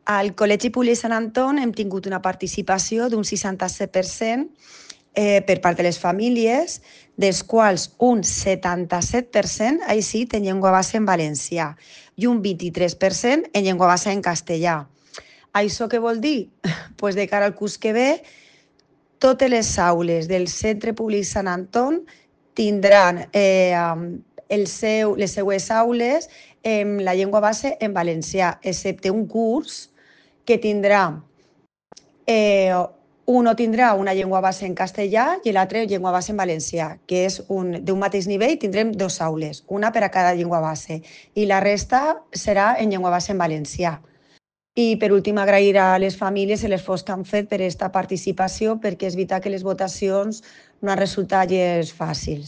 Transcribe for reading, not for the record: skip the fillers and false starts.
Al Col·legi Públic Sant Anton hem tingut una participació d'un 67% per part de les famílies, dels quals un 77%, així, té llengua base en valencià i un 23% en llengua base en castellà. Això què vol dir? Pues de cara al curs que ve, totes les aules del Centre Públic Sant Anton tindran les seues aules en la llengua base en valencià, excepte un curs que tindrà, uno tindrà una llengua base en castellà i l'altre llengua base en valencià, que és d'un mateix nivell, tindrem dos aules, una per a cada llengua base, i la resta serà en llengua base en valencià. I per últim agrair a les famílies l'esforç que han fet per aquesta participació, perquè és veritat que les votacions no han resultat gens fàcils.